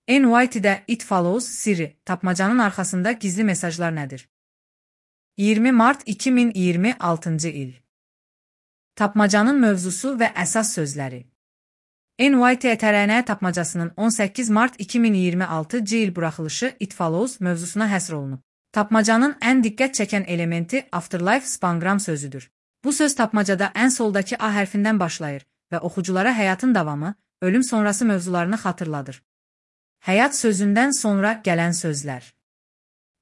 NYT-də It Follows Siri, tapmacanın arxasında gizli mesajlar nədir? 20 mart 2026-cı il. Tapmacanın mövzusu və əsas sözləri. NYT tapmacasının 18 mart 2026-cı il buraxılışı It Follows mövzusuna həsr olunub. Tapmacanın ən diqqət çəkən elementi Afterlife spangram sözüdür. Bu söz tapmacada ən soldakı A hərfindən başlayır və oxuculara həyatın davamı, ölüm sonrası mövzularını xatırladır. Həyat sözündən sonra gələn sözlər.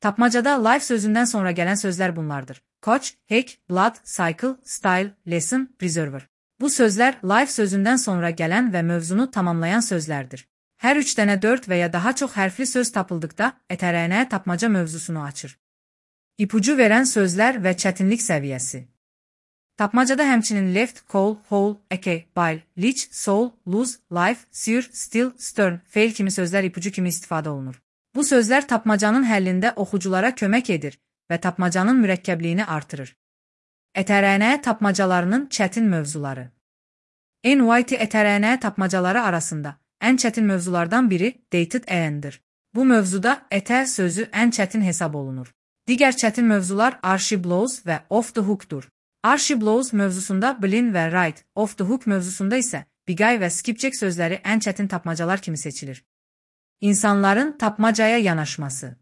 Tapmacada life sözündən sonra gələn sözlər bunlardır. Coach, hack, blood, cycle, style, lesson, preserver. Bu sözlər life sözündən sonra gələn və mövzunu tamamlayan sözlərdir. Hər 3 dənə 4 və ya daha çox hərfli söz tapıldıqda tapmaca mövzusunu açır. İpucu verən sözlər və çətinlik səviyyəsi. Tapmacada həmçinin left, call, whole, eke, bile, leech, soul, lose, life, sear, still, stern, fail kimi sözlər ipucu kimi istifadə olunur. Bu sözlər tapmacanın həllində oxuculara kömək edir və tapmacanın mürəkkəbliyini artırır. Tapmacalarının çətin mövzuları. NYT tapmacaları arasında ən çətin mövzulardan biri dated and-dir. Bu mövzuda sözü ən çətin hesab olunur. Digər çətin mövzular Archie blows və off the hook'dur. Archie blows mövzusunda blin və right, off the hook mövzusunda isə bigay və skipjack sözləri ən çətin tapmacalar kimi seçilir. İnsanların tapmacaya yanaşması.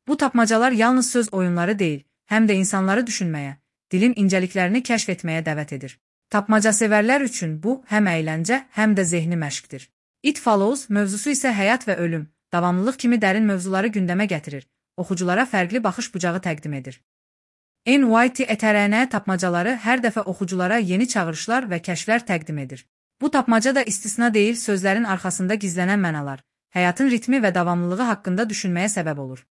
Bu tapmacalar yalnız söz oyunları deyil, həm də insanları düşünməyə, dilin incəliklərini kəşf etməyə dəvət edir. Tapmaca sevərlər üçün bu həm əyləncə, həm də zehni məşqdir. It Follows mövzusu isə həyat və ölüm, davamlılıq kimi dərin mövzuları gündəmə gətirir, oxuculara fərqli baxış bucağı təqdim edir. NYT tapmacaları hər dəfə oxuculara yeni çağırışlar və kəşflər təqdim edir. Bu tapmaca da istisna deyil, sözlərin arxasında gizlənən mənalar, həyatın ritmi və davamlılığı haqqında düşünməyə səbəb olur.